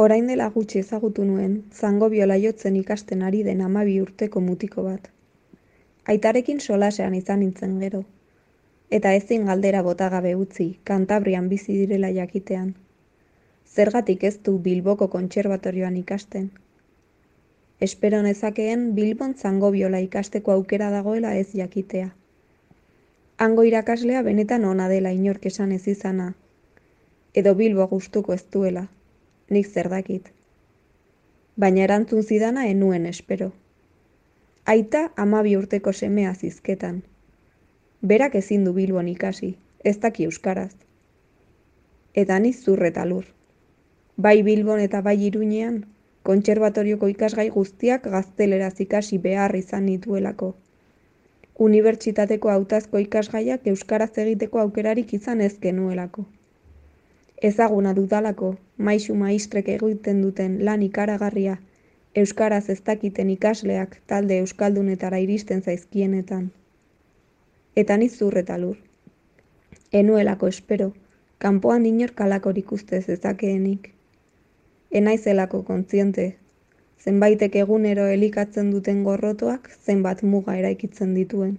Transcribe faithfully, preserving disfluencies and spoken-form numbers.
Orain dela gutxi ezagutu nuen zango biola jotzen ikasten ari den hamabi urteko mutiko bat. Aitarekin solasean izan nintzen gero, eta ezin galdera botagabe utzi Kantabrian bizi direla jakitean. Zergatik ez du Bilboko kontserbatorioan ikasten? Espero nezakeen Bilbon zango biola ikasteko aukera dagoela ez jakitea. Hango irakaslea benetan ona dela inork esan ez izana, edo Bilbo gustuko ez duela, nik zer dakit. Baina erantzun zidana enuen espero. Aita hamabi urteko semea zizketan. Berak ezin du Bilbon ikasi, ez daki euskaraz. Eta ni zur eta lur. Bai Bilbon eta bai Iruñean, kontserbatorioko ikasgai guztiak gazteleraz ikasi behar izan nituelako. Unibertsitateko hautazko ikasgaiak euskaraz egiteko aukerarik izan ez genuelako. Ezaguna dudalako, maisu maistrek egiten duten lan ikaragarria, euskaraz ez dakiten ikasleak talde euskaldunetara iristen zaizkienetan. Eta ni zur eta lur. Enuelako espero, kanpoan inork halakorik uste zezakeenik. Enaizelako kontziente, zenbaitek egunero elikatzen duten gorrotoak zenbat muga eraikitzen dituen.